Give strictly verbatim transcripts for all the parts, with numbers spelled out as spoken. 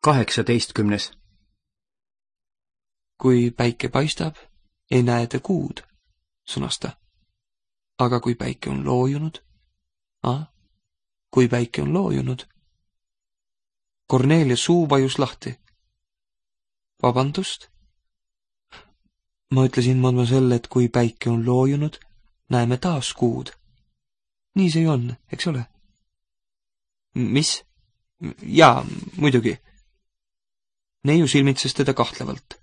kaheksateistkümnes. Kui päike paistab, ei näe te kuud, sõnas ta. Aga kui päike on loojunud, ah, kui päike on loojunud. Kornelia suu vajus lahti. Vabandust? Ma ütlesin mademoiselle, et kui päike on loojunud, näeme taas kuud. Nii see on, eks ole? Mis? Jaa, muidugi. Neiu silmitses teda kahtlevalt.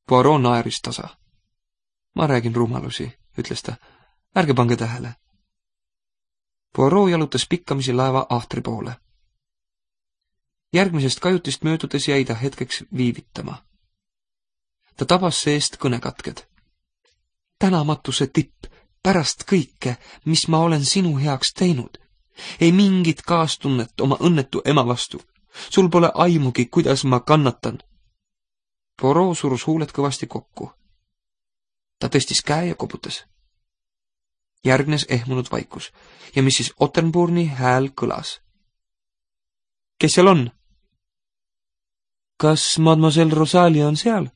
Poirot naeris tasa. Ma räägin rumalusi, ütles ta. Ärge pange tähele. Poirot jalutas pikkamisi laeva ahtri poole. Järgmisest kajutist möödudes jäi ta hetkeks viivitama. Ta tabas seest kõnekatked. Tänamatuse tipp, pärast kõike, mis ma olen sinu heaks teinud. Ei mingit kaastunnet oma õnnetu ema vastu. Sul pole aimugi, kuidas ma kannatan. Poirot surus huuled kõvasti kokku. Ta tõstis käe ja koputas. Järgnes ehmunud vaikus ja missis Otterburni hääl kõlas. Kes seal on? Kas mademoiselle Rosalia on seal?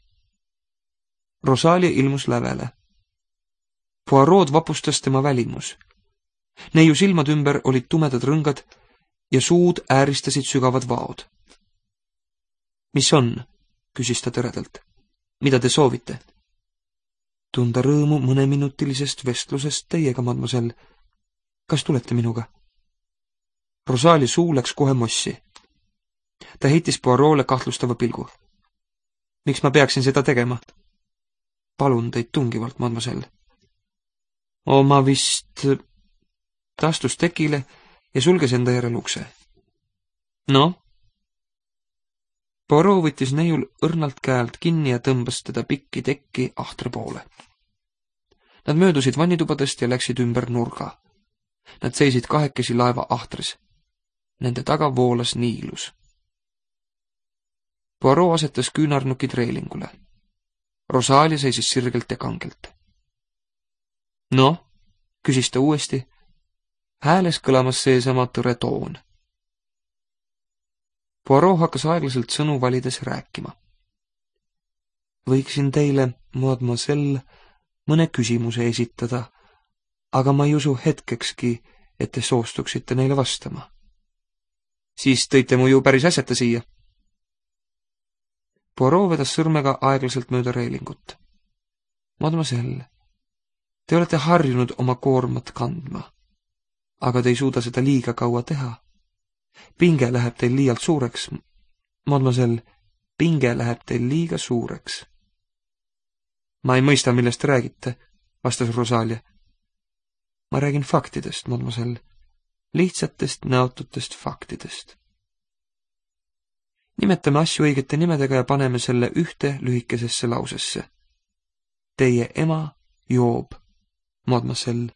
Rosalia ilmus lävele. Poirot vapustas tema välimus. Neiu silmad ümber olid tumedad rõngad ja suud ääristasid sügavad vaod. Mis on? Küsis ta tõredalt. Mida te soovite? Tunda rõõmu mõneminutilisest vestlusest teiega, mademoiselle. Kas tulete minuga? Rosalia suu läks kohe mossi. Ta heitis Poirot'le kahtlustava pilgu. Miks ma peaksin seda tegema? Palun teid tungivalt, mademoiselle. O, ma vist... Ta astus tekile ja sulges enda järel ukse. No? Poirot võttis neiul õrnalt käelt kinni ja tõmbas teda pikki tekki ahtre poole. Nad möödusid vannitubadest ja läksid ümber nurga. Nad seisid kahekesi laeva ahtris. Nende taga voolas niilus. Poirot asetas küünarnukid reelingule. Rosalia seisis sirgelt ja kangelt. No? Küsis ta uuesti. Hääles kõlamas seesama tõre toon. Poirot hakkas aeglaselt sõnu valides rääkima. Võiksin teile, mademoiselle, mõne küsimuse esitada, aga ma ei usu hetkekski, et te soostuksite neile vastama. Siis tõite mu ju päris asjata siia. Poirot vedas sõrmega aeglaselt mööda reelingut. Mademoiselle, te olete harjunud oma koormat kandma, aga te ei suuda seda liiga kaua teha. Pinge läheb teil liialt suureks. Mademoiselle, pinge läheb teil liiga suureks. Ma ei mõista, millest te räägite, vastas Rosalia. Ma räägin faktidest, mademoiselle. Lihtsatest, näotutest faktidest. Nimetame asju õigete nimedega ja paneme selle ühte lühikesesse lausesse. Teie ema joob, mademoiselle.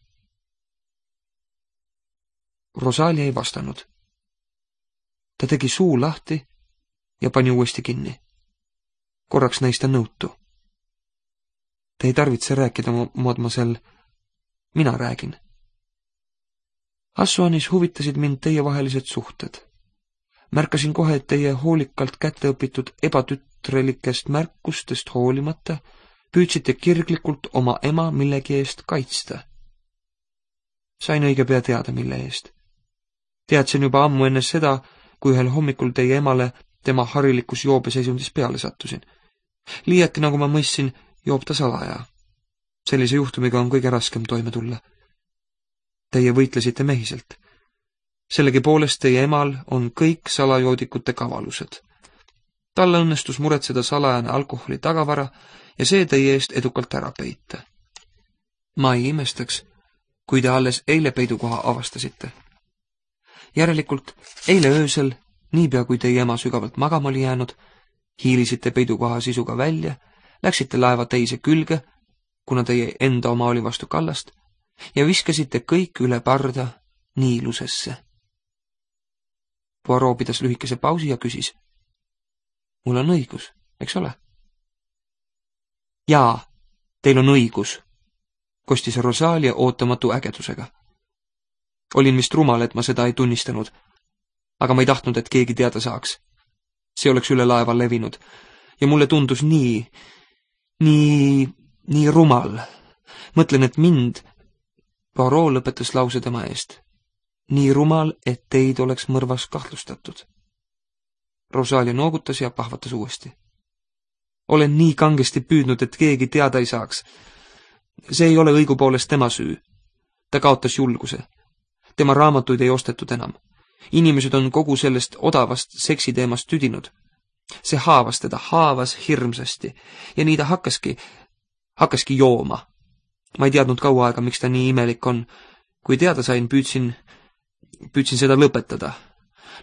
Rosalia ei vastanud. Ta tegi suu lahti ja pani uuesti kinni. Korraks näis ta nõutu. Te ei tarvitse rääkida, mademoiselle. Mina räägin. Assuanis huvitasid mind teievahelised suhted. Märkasin kohe, et teie hoolikalt kätte õpitud ebatütrelikest märkustest hoolimata püüdsite kirglikult oma ema millegi eest kaitsta. Sain õige pea teada, mille eest. Teadsin juba ammu enne seda, kui ühel hommikul teie emale tema harilikus joobeseisundis peale sattusin. Liiati, nagu ma mõistsin, joob ta salaja. Sellise juhtumiga on kõige raskem toime tulla. Teie võitlesite mehiselt. Sellegi poolest teie emal on kõik salajoodikute kavalused. Talle õnnestus muretseda salajane alkoholi tagavara ja see teie eest edukalt ära peita. Ma ei imestaks, kui te alles eile peidukoha avastasite. Järelikult eile öösel, niipea kui teie ema sügavalt magama oli jäänud, hiilisite peidukoha sisuga välja, läksite laeva teise külge, kuna teie enda oma oli vastu kallast, ja viskasite kõik üle parda niilusesse. Poirot pidas lühikese pausi ja küsis. Mul on õigus, eks ole? Jaa, teil on õigus, kostis Rosalia ootamatu ägedusega. Olin vist rumal, et ma seda ei tunnistanud, aga ma ei tahtnud, et keegi teada saaks. see oleks üle laeva levinud ja mulle tundus nii, nii, nii rumal. Mõtlen, et mind, Poirot lõpetas lause tema eest, nii rumal, et teid oleks mõrvas kahtlustatud. Rosalia noogutas ja pahvatas uuesti. Olen nii kangesti püüdnud, et keegi teada ei saaks. See ei ole õigupoolest tema süü. Ta kaotas julguse. Tema raamatuid ei ostetud enam. Inimesed on kogu sellest odavast seksiteemast tüdinud. See haavas teda, haavas hirmsasti ja nii ta hakkaski, hakkaski jooma. Ma ei teadnud kaua aega, miks ta nii imelik on. Kui teada sain, püüdsin, püüdsin seda lõpetada.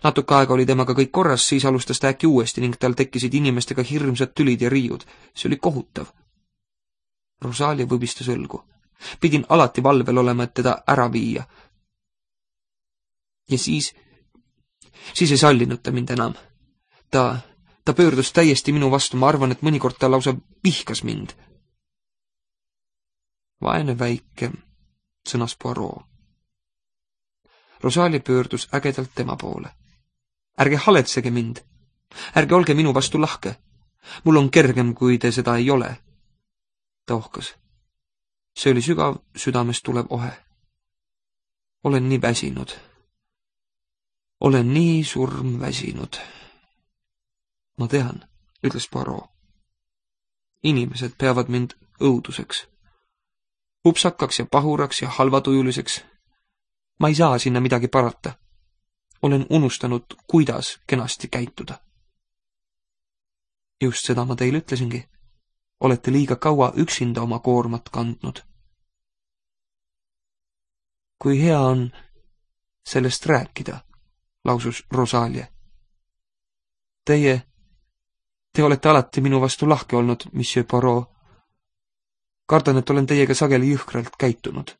Natuke aega oli temaga kõik korras, siis alustas ta äkki uuesti ning tal tekkisid inimestega hirmsad tülid ja riiud. See oli kohutav. Rosalia võbistas õlgu. Pidin alati valvel olema, et teda ära viia. Ja siis, siis ei sallinud ta mind enam. Ta, ta pöördus täiesti minu vastu, ma arvan, et mõnikord ta lausa vihkas mind. Vaene väike, sõnas Poirot. Rosalia pöördus ägedalt tema poole. Ärge haletsege mind. Ärge olge minu vastu lahke. Mul on kergem, kui te seda ei ole. Ta ohkas. See oli sügav südamest tulev ohe. Olen nii väsinud. Olen nii surmväsinud. Ma tean, ütles Poirot. Inimesed peavad mind õuduseks. Upsakaks ja pahuraks ja halvatujuliseks. Ma ei saa sinna midagi parata. Olen unustanud, kuidas kenasti käituda. Just seda ma teile ütlesingi. Olete liiga kaua üksinda oma koormat kandnud. Kui hea on sellest rääkida, lausus Rosalia. Teie, te olete alati minu vastu lahke olnud, monsieur Poirot. Kardan, et olen teiega sageli jõhkralt käitunud.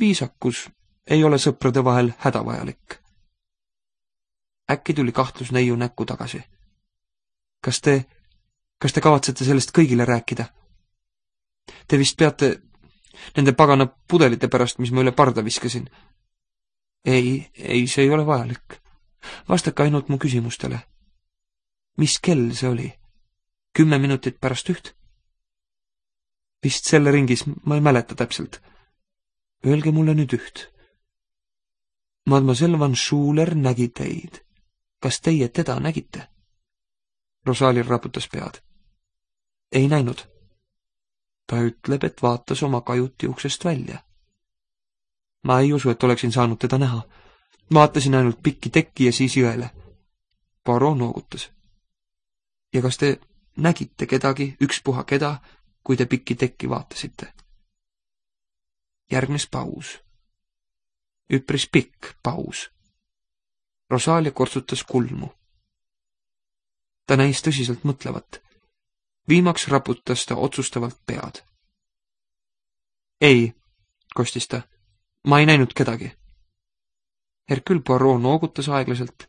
Viisakus ei ole sõprade vahel hädavajalik. Äkki tuli kahtlus neiu näkku tagasi. Kas te, kas te kavatsete sellest kõigile rääkida? Te vist peate nende pagana pudelite pärast, mis ma üle parda viskasin. Ei, ei, see ei ole vajalik. Vastake ainult mu küsimustele. Mis kell see oli? Kümme minutit pärast üht? Vist selle ringis, ma ei mäleta täpselt. Öelge mulle nüüd üht. Mademoiselle Van Schuler nägi teid. Kas teie teda nägite? Rosalia raputas pead. Ei näinud. Ta ütleb, et vaatas oma kajuti uksest välja. Ma ei usu, et oleksin saanud teda näha. Vaatasin ainult pikki tekki ja siis jõele. Poirot noogutas. Ja kas te nägite kedagi, ükspuha keda, kui te pikki tekki vaatasite? Järgnes paus. Üpris pikk paus. Rosalia kortsutas kulmu. Ta näis tõsiselt mõtlevat. Viimaks raputas ta otsustavalt pead. Ei, kostis ta, ma ei näinud kedagi. Hercule Poirot noogutas aeglaselt,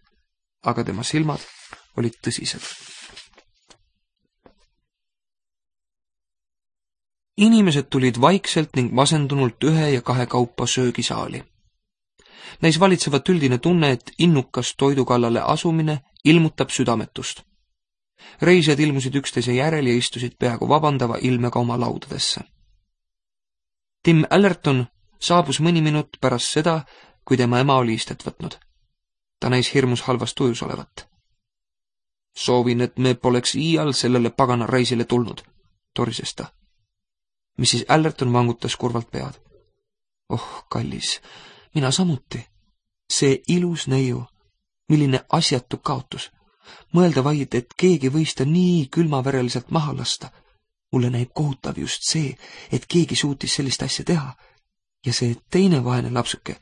aga tema silmad olid tõsised. Inimesed tulid vaikselt ning masendunult ühe ja kahe kaupa söögisaali. Näis valitsevat üldine tunne, et innukas toidukallale asumine ilmutab südametust. Reisijad ilmusid üksteise järel ja istusid peaaegu vabandava ilmega oma laudadesse. Tim Allerton saabus mõni minut pärast seda, kui tema ema oli istet võtnud. Ta näis hirmus halvas tujus olevat. Soovin, et me poleks iial sellele pagana reisile tulnud, torises ta. missis Allerton vangutas kurvalt pead. Oh, kallis, mina samuti. See ilus neiu, milline asjatu kaotus. Mõelda vaid, et keegi võis ta nii külmavereliselt maha lasta. Mulle näib kohutav just see, et keegi suutis sellist asja teha. Ja see teine vaene lapsuke.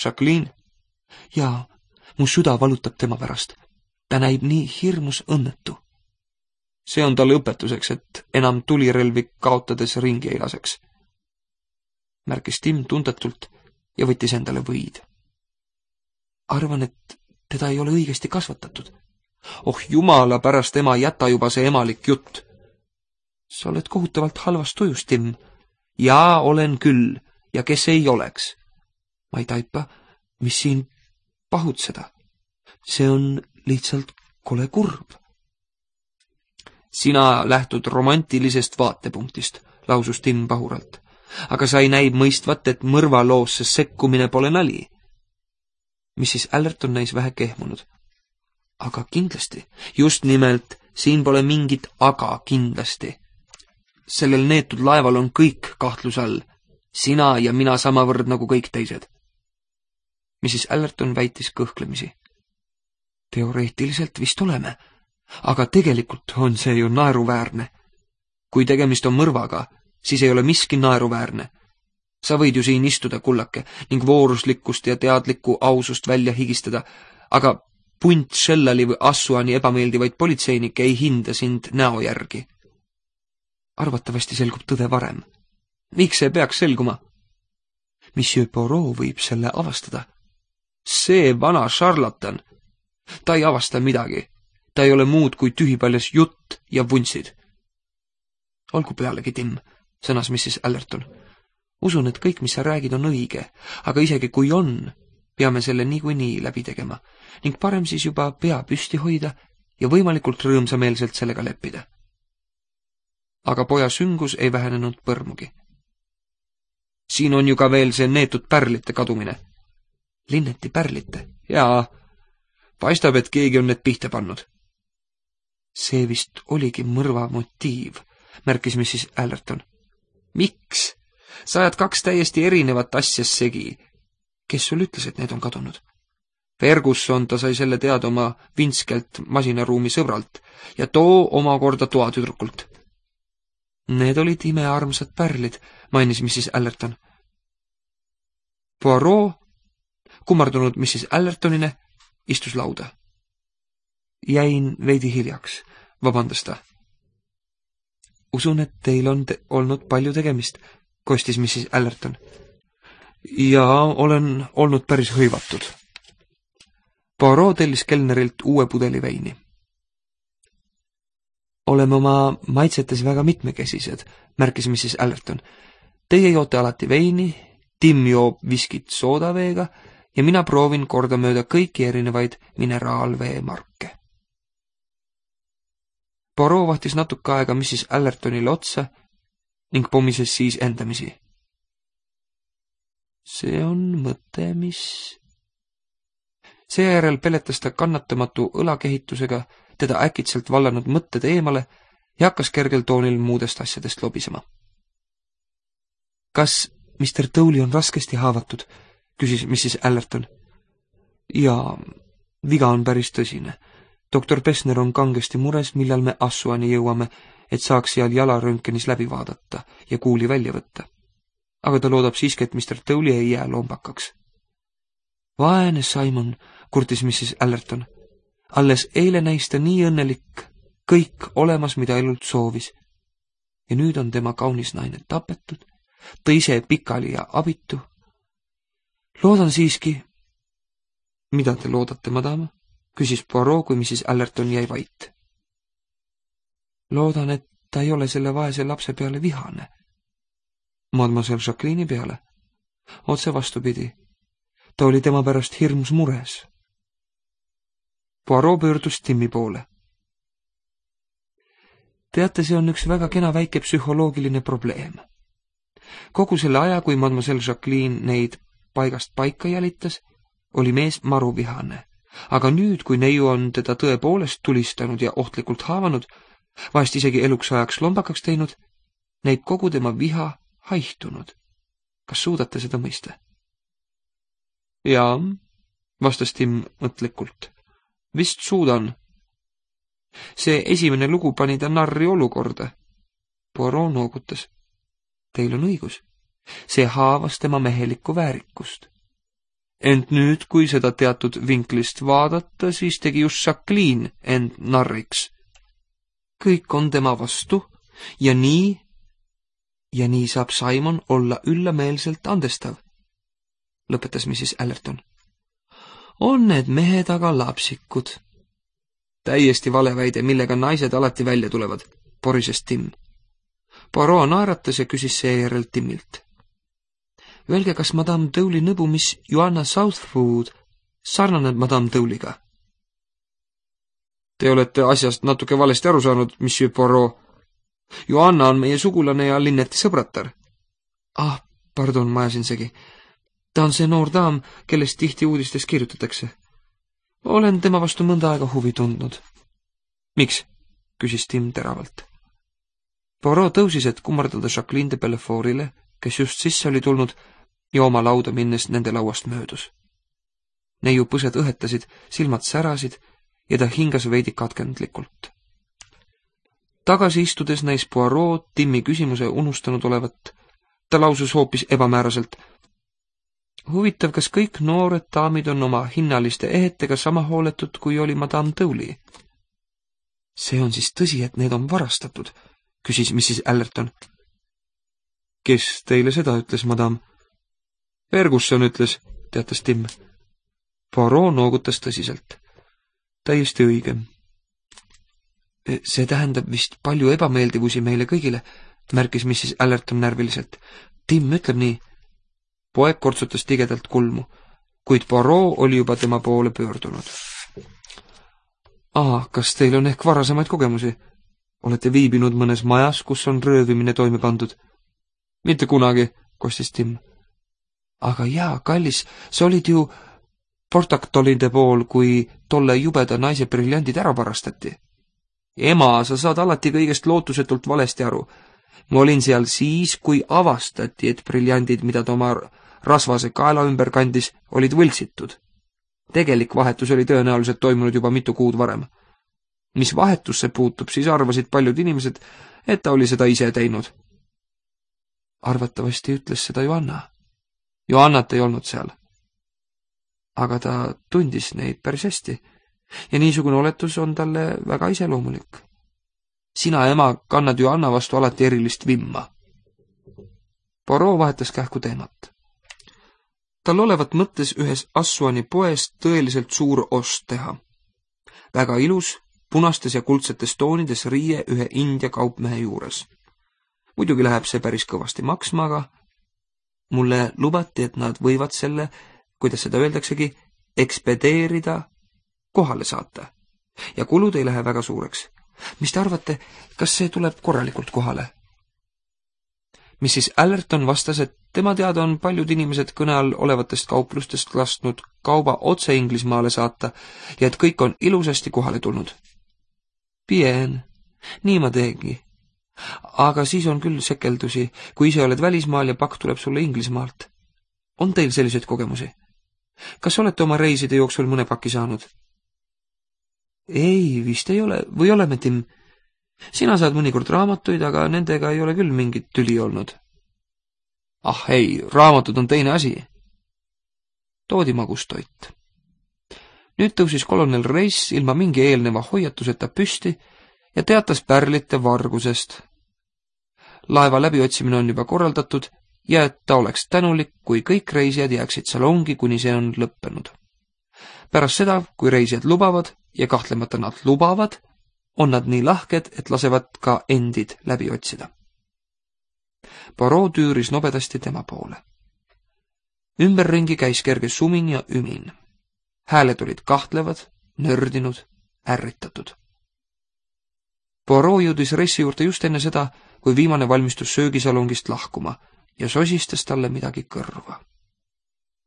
Jacqueline? Jaa, mu süda valutab tema pärast. Ta näib nii hirmus õnnetu. See on talle õpetuseks, et enam tulirelvi kaotades ringi ei laseks. Märkis Tim tundetult ja võttis endale võid. Arvan, et teda ei ole õigesti kasvatatud. Oh jumala pärast, ema, jäta juba see emalik jutt. Sa oled kohutavalt halvas tujus, Tim. Jaa, olen küll, ja kes ei oleks. Ma ei taipa, mis siin pahutseda. see on lihtsalt kole kurb. Sina lähtud romantilisest vaatepunktist, lausus Tim pahuralt, aga sa ei näi mõistvat, et mõrvaloosse sekkumine pole nali. missis Allerton näis vähe kehmunud. Aga kindlasti, just nimelt, siin pole mingit aga kindlasti. Sellel neetud laeval on kõik kahtluse all, sina ja mina samavõrd nagu kõik teised. missis Allerton väitis kõhklemisi. Teoreetiliselt vist oleme, aga tegelikult on see ju naeruväärne. Kui tegemist on mõrvaga, siis ei ole miski naeruväärne. Sa võid ju siin istuda, kullake, ning vooruslikkust ja teadlikku ausust välja higistada, aga punt Shellali või Assuani ebameeldivaid politseinikke ei hinda sind näo järgi. Arvatavasti selgub tõde varem. Miks see peaks selguma? Monsieur Poirot võib selle avastada. See vana šarlatan. Ta ei avasta midagi. Ta ei ole muud kui tühipaljas jutt ja vuntsid. Olgu pealegi, Tim, sõnas missis Allerton. Usun, et kõik, mis sa räägid, on õige, aga isegi kui on, peame selle niikuinii läbi tegema ning parem siis juba pea püsti hoida ja võimalikult rõõmsameelselt sellega leppida. Aga poja süngus ei vähenenud põrmugi. Siin on ju ka veel see neetud pärlite kadumine. Linneti pärlite? Jaa, paistab, et keegi on need pihta pannud. See vist oligi mõrva motiiv, märkis missis Allerton. Miks? Sa ajad kaks täiesti erinevat asja segi. Kes sul ütles, et need on kadunud? Ferguson, ta sai selle teada oma Vinskelt masinaruumi sõbralt ja too omakorda toatüdrukult. Need olid imearmsad pärlid, mainis missis Allerton. Poirot, kummardunud missis Allertonine, istus lauda. Jäin veidi hiljaks, vabandas ta. Usun, et teil on te olnud palju tegemist, kostis missis Allerton. Ja olen olnud päris hõivatud. Poirot tellis kelnerilt uue pudeli veini. Oleme oma maitsetes väga mitmekesised, märkis missis Allerton. Teie joote alati veini, Tim joob viskit soodaveega ja mina proovin kordamööda kõiki erinevaid mineraalvee marke. Poirot vahtis natuke aega missis Allertonile otsa ning pomises siis endamisi. See on mõte, mis... Seejärel peletas ta kannatamatu õlakehitusega teda äkitselt vallanud mõtted eemale ja hakkas kergel toonil muudest asjadest lobisema. Kas mister Tooley on raskesti haavatud, küsis missis Allerton. Jaa, viga on päris tõsine. doktor Pessner on kangesti mures, millal me Assuani jõuame, et saaks seal jalaröntgenis läbi vaadata ja kuuli välja võtta. Aga ta loodab siiski, et mister Tooley ei jää lombakaks. Vaene Simon, kurtis missis Allerton. Alles eile näis ta nii õnnelik, kõik olemas, mida elult soovis. Ja nüüd on tema kaunis naine tapetud, ta ise pikali ja abitu. Loodan siiski... Mida te loodate, madama? Küsis Poirot, kui missis Allerton jäi vait. Loodan, et ta ei ole selle vaese lapse peale vihane. Mademoiselle Jacqueline'i peale. Otse vastupidi. Ta oli tema pärast hirmus mures. Poirot pöördus Timmi poole. Teate, see on üks väga kena väike psühholoogiline probleem. Kogu selle aja, kui Mademoiselle Jacqueline neid paigast paika jälitas, oli mees maruvihane. Aga nüüd, kui neiu on teda tõepoolest tulistanud ja ohtlikult haavanud, vahest isegi eluks ajaks lombakaks teinud, näib kogu tema viha haihtunud. Kas suudate seda mõista? Jaa, vastas Tim mõtlikult. Vist suudan. See esimene lugu pani ta narri olukorda. Poirot noogutas. Teil on õigus. See haavas tema mehelikku väärikust. Ent nüüd, kui seda teatud vinklist vaadata, siis tegi just Jacqueline end narriks. Kõik on tema vastu ja nii, ja nii saab Simon olla üllameelselt andestav, lõpetas missis Allerton. On need mehed aga lapsikud. Täiesti vale väide, millega naised alati välja tulevad, porises Tim. Poirot naeratas ja küsis seejärel Timilt. Öelge, kas madame Tooley nõbu, mis Joanna Southwood sarnaneb madame Tooleyga? Te olete asjast natuke valesti aru saanud, Monsieur Poirot. Joanna on meie sugulane ja Linneti sõbratar. Ah, pardon, ma ajasin segi. Ta on see noor daam, kellest tihti uudistes kirjutatakse. Olen tema vastu mõnda aega huvi tundnud. Miks? Küsis Tim teravalt. Poirot tõusis, et kummardada Jacqueline de Bellefortile, kes just sisse oli tulnud ja oma lauda minnes nende lauast möödus. Neiu põsed õhetasid, silmad särasid ja ta hingas veidi katkendlikult. Tagasi istudes näis Poirot Timmi küsimuse unustanud olevat. Ta lausus hoopis ebamääraselt. Huvitav, kas kõik noored daamid on oma hinnaliste ehetega sama hooletud, kui oli Madame Dowley? See on siis tõsi, et need on varastatud, küsis missis Allerton. Kes teile seda ütles, madame? Ferguson ütles, teatas Tim. Poirot noogutas tõsiselt. Täiesti õige. See tähendab vist palju ebameeldivusi meile kõigile, märkis missis Allerton närviliselt. Tim ütleb nii. Poeg kortsutas tigedalt kulmu, kuid Poirot oli juba tema poole pöördunud. Aa, kas teil on ehk varasemaid kogemusi? Olete viibinud mõnes majas, kus on röövimine toime pandud? Mitte kunagi, kostis Tim. Aga jaa, kallis, sa olid ju Portactolide pool, kui tolle jubeda naise briljandid ära varastati. Ema, sa saad alati kõigest lootusetult valesti aru. Ma olin seal siis, kui avastati, et briljandid, mida ta oma rasvase kaela ümber kandis, olid võltsitud. Tegelik vahetus oli tõenäoliselt toimunud juba mitu kuud varem. Mis vahetusse puutub, siis arvasid paljud inimesed, et ta oli seda ise teinud. Arvatavasti ütles seda Joanna. Joannat ei olnud seal. Aga ta tundis neid päris hästi ja niisugune oletus on talle väga iseloomulik. Sina, ema, kannad Joanna vastu alati erilist vimma. Poirot vahetas kähku teemat. Tal olevat mõttes ühes Assuani poes tõeliselt suur ost teha. Väga ilus, punastes ja kuldsetes toonides riie ühe India kaupmehe juures. Muidugi läheb see päris kõvasti maksma, aga mulle lubati, et nad võivad selle, kuidas seda öeldaksegi, ekspedeerida, kohale saata. Ja kulud ei lähe väga suureks. Mis te arvate, kas see tuleb korralikult kohale? missis Allerton vastas, et tema teada on paljud inimesed kõne all olevatest kauplustest lasknud kauba otse Inglismaale saata ja et kõik on ilusasti kohale tulnud. Bien, nii ma teegi. Aga siis on küll sekeldusi, kui ise oled välismaal ja pakk tuleb sulle Inglismaalt. On teil selliseid kogemusi? Kas olete oma reiside jooksul mõne paki saanud? Ei, vist ei ole. Või oleme, Tim? Sina saad mõnikord raamatuid, aga nendega ei ole küll mingit tüli olnud. Ah ei, raamatud on teine asi. Toodi magustoit. Nüüd tõusis kolonel Reis ilma mingi eelneva hoiatuseta püsti ja teatas pärlite vargusest. Laeva läbiotsimine on juba korraldatud ja et ta oleks tänulik, kui kõik reisijad jääksid salongi, kuni see on lõppenud. Pärast seda, kui reisijad lubavad, ja kahtlemata nad lubavad, on nad nii lahked, et lasevad ka endid läbi otsida. Poirot tüüris nobedasti tema poole. Ümberringi käis kerge sumin ja ümin. Hääled olid kahtlevad, nördinud, ärritatud. Poirot jõudis Reissi juurde just enne seda, kui viimane valmistus söögisalongist lahkuma ja sosistas talle midagi kõrva.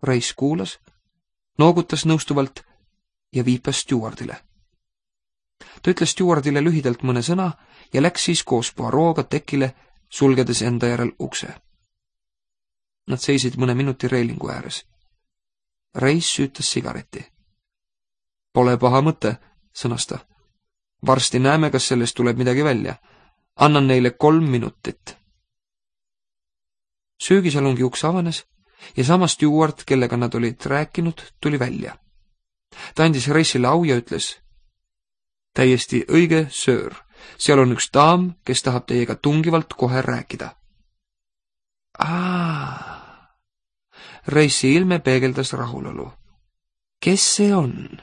Reiss kuulas, noogutas nõustuvalt ja viipas stjuardile. Ta ütles stjuardile lühidalt mõne sõna ja läks siis koos Poirot'ga tekile, sulgedes enda järel ukse. Nad seisid mõne minuti reilingu ääres. Reiss süütas sigareti. Pole paha mõte, sõnas ta. Varsti näeme, kas sellest tuleb midagi välja. Annan neile kolm minutit. Söögisalongi uks avanes ja sama stjuard, kellega nad olid rääkinud, tuli välja. Ta andis Reissile au ja ütles: täiesti õige, söör. Seal on üks daam, kes tahab teiega tungivalt kohe rääkida. Aa. Reissi ilme peegeldas rahulolu. Kes see on?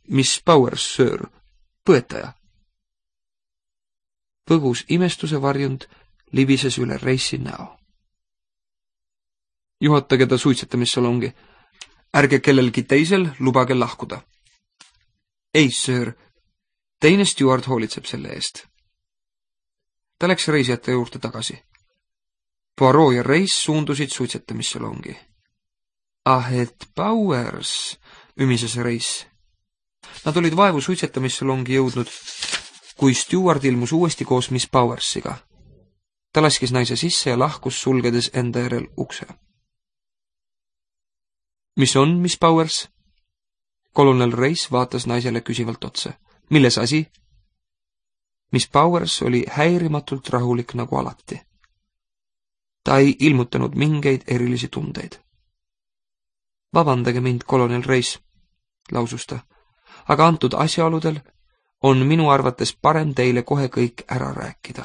Miss Powers, söör. Põetaja. Põgus imestuse varjund libises üle Reissi näo. Juhatage ta suitsetamissalongi. Ärge kellelgi teisel lubage lahkuda. ei, söör, teine stjuard hoolitseb selle eest. Ta läks reisijate juurde tagasi. Poirot ja Reis suundusid suitsetamissalongi. Ah, et Powers, ümises Reis. Nad olid vaevu suitsetamissalongi jõudnud, kui stjuard ilmus uuesti koos Miss Powersiga. Ta laskis naise sisse ja lahkus, sulgedes enda järel ukse. Mis on, Miss Powers? Kolonel Reis vaatas naisele küsivalt otsa. Milles asi? Miss Powers oli häirimatult rahulik nagu alati. Ta ei ilmutanud mingeid erilisi tundeid. Vabandage mind, kolonel Reis, lausus ta, aga antud asjaoludel on minu arvates parem teile kohe kõik ära rääkida.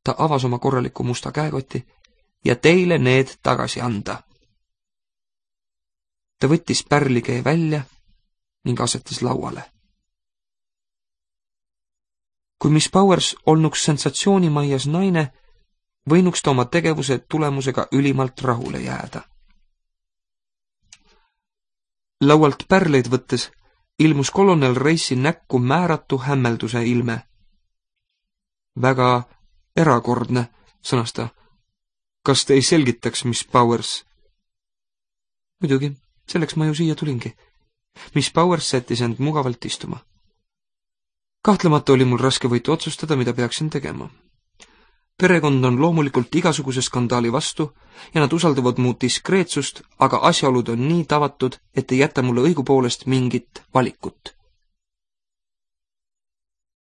Ta avas oma korraliku musta käekoti ja teile need tagasi anda. Ta võttis pärlikee välja ning asetas lauale. Kui Miss Powers olnuks sensatsioonimaias naine, võinuks ta oma tegevuse tulemusega ülimalt rahule jääda. Laualt pärleid võttes ilmus kolonel Reisi näkku määratu hämmelduse ilme. Väga erakordne, sõnas ta. Kas te ei selgitaks, Miss Powers? Muidugi, selleks ma ju siia tulingi. Miss Powers sättis end mugavalt istuma. Kahtlemata oli mul raske võitu otsustada, mida peaksin tegema. Perekond on loomulikult igasuguse skandaali vastu ja nad usaldavad mu diskreetsust, aga asjaolud on nii tavatud, et ei jäta mulle õigupoolest mingit valikut.